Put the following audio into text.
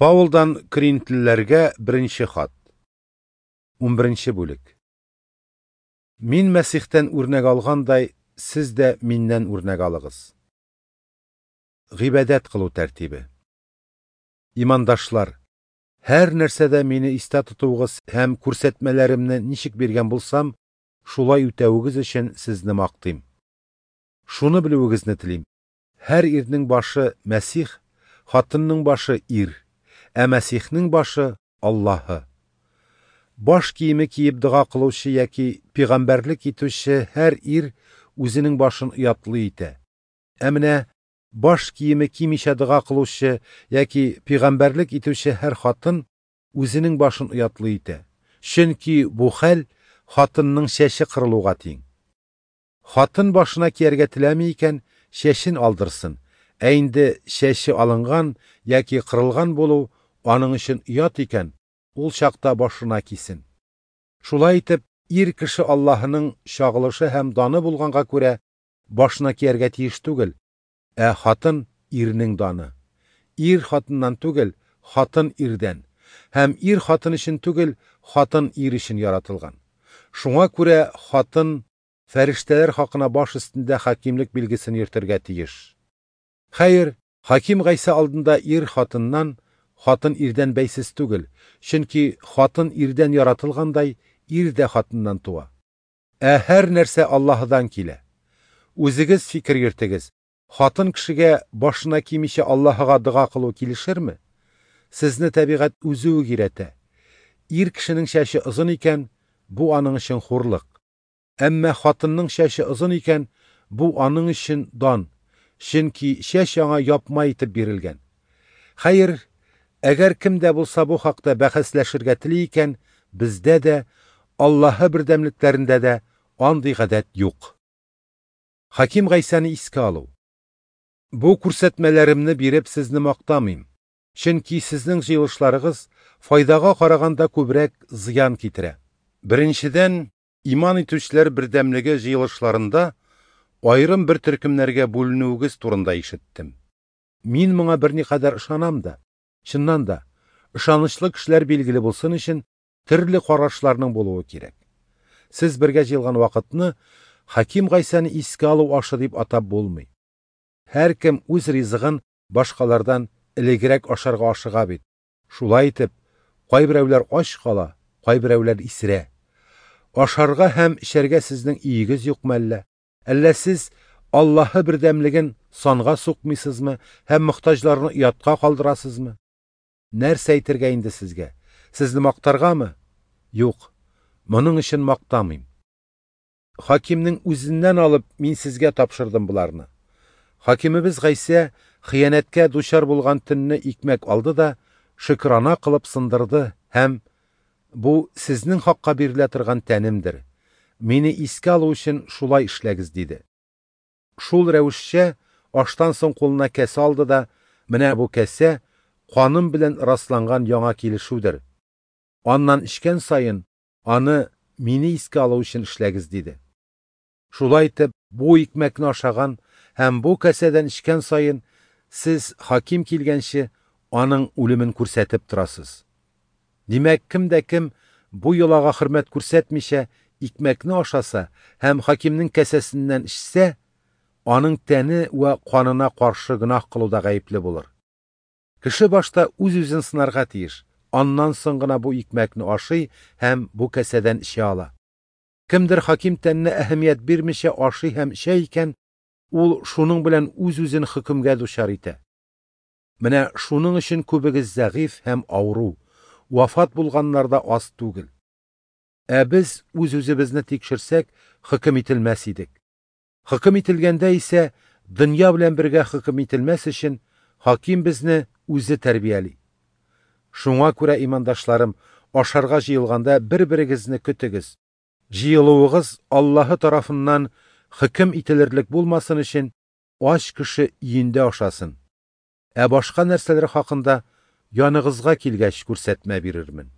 Паулдан Коринфлеләргә беренче хат. 11 бүлек. Мин Мәсихтән үрнәк алгандай, сез дә миннән үрнәк алыгыз. Гыйбадәт кылу тәртибе. Имандашлар, һәр нәрсәдә мине истә тотуыгыз һәм күрсәтмәләремне ничек биргән булсам, шулай үтәвегез өчен сезне мактыйм. Шуны белүегезне телим. Һәр ирнең башы Мәсих, хатынның башы ир, ә Мәсихнең башы Аллаһы. Баш киеме киеп дога кылучы яки пәйгамбәрлек итүче һәр ир үзенең башын оятлы итә. Ә менә баш киеме кимичә дога кылучы яки пәйгамбәрлек итүче һәр хатын үзенең башын оятлы итә. Чөнки бу хәл хатынның чәче кырылуга тиң. Хатын башына кияргә теләми икән, чәчен алдырсын. Ә инде чәче алынган яки кырылган булу аның өчен оят икән, ул чакта башына кисен. Шулай итеп, ир кеше Аллаһының чагылышы һәм даны булганга күрә башына кияргә тиеш түгел, ә хатын ирнең даны. Ир хатыннан түгел, хатын ирдән. Һәм ир хатын өчен түгел, хатын ир өчен яратылган. Шуңа күрә хатын фәрештәләр хакына баш өстендә хакимлек билгесен йөртергә тиеш. Хәер, хаким Гайсә алдында ир хатыннан, хатын ирдән бәйсез түгел, чөнки хатын ирдән яратылгандай, ир дә хатыннан туа. Ә һәр нәрсә Аллаһыдан килә. Үзегез фикер йөртегез. Хатын кешегә башына кимичә Аллаһыга дога кылу килешерме? Сезне табигать үзе үк өйрәтә. Ир кешенең чәче озын икән, бу аның өчен хурлык. Әмма хатынның чәче озын икән, бу аның өчен дан. Чөнки чәч аңа япма итеп бирелгән. Хәер, әгәр кем дә булса бу хакта бәхәсләшергә тели икән, бездә дә, Аллаһы бердәмлекләрендә дә андый гадәт юк. Хаким Гайсәне искә алу. Бу күрсәтмәләремне биреп сезне мактамыйм. Чөнки сезнең җыелышларыгыз файдага караганда күбрәк зыян китерә. Беренчедән, иман итүчеләр бердәмлеге җыелышларында аерым бер төркемнәргә бүленүегез турында ишеттем. Мин моңа берникадәр ышанам да. Чыннан да, ышанычлы кешеләр билгеле булсын өчен төрле карашларның булуы кирәк. Сез бергә җыелган вакытны Хаким Гайсәне искә алу ашы дип атап булмый. Һәркем үз ризыгын башкалардан элегрәк ашарга ашыга бит. Шулай итеп, кайберәүләр ач кала, кайберәүләр исерә. Ашарга һәм эчәргә сезнең өегез юкмы әллә? Әллә сез Аллаһы бердәмлеген санга сукмыйсызмы һәм мохтаҗларны оятка калдырасызмы? Нәрсә әйтергә инде сезгә? Сезне мактаргамы? Юк, моның өчен мактамыйм. Хакимнең үзеннән алып мин сезгә тапшырдым боларны. Хакимебез Гайсә хыянәткә дучар булган төнне икмәк алды да шөкрана кылып сындырды һәм бу сезнең хакка бирелә торган тәнемдер. Мине искә алу өчен шулай эшләгез, диде. Шул рәвешчә аштан соң кулына кәсә алды да, менә бу кәсә каным белән расланган яңа килешүдер. Аннан эчкән саен аны мине искә алу өчен эшләгез, диде. Шулай итеп, бу икмәкне ашаган һәм бу кәсәдән эчкән саен сез хаким килгәнче аның үлемен күрсәтеп торасыз. Димәк, кем дә кем бу йолага хөрмәт күрсәтмичә икмәкне ашаса һәм хакимнең кәсәсеннән эчсә, аның тәне вә канына каршы гөнаһ кылуда гаепле булыр. Кеше башта үз-үзен сынарга тиеш, аннан соң гына бу икмәкне ашый һәм бу кәсәдән эчә ала. Кемдер хаким тәненә әһәмият бирмичә ашый һәм эчә икән, ул шуның белән үз-үзен хөкемгә дучар итә. Менә шуның өчен күбегез зәгыйфь һәм авыру, вафат булганнар да аз түгел. Ә без үз-үзебезне тикшерсәк, хөкем ителмәс идек. Хөкем ителгәндә исә дөнья белән бергә хөкем ителмәс өчен хаким безне үзе тәрбияли. Шуңа күрә, имандашларым, ашарга җыелганда бер-берегезне көтегез. Җыелуыгыз Аллаһы тарафыннан хөкем ителерлек булмасын өчен ач кеше өендә ашасын. Ә башка нәрсәләр хакында яныгызга килгәч күрсәтмә бирермен.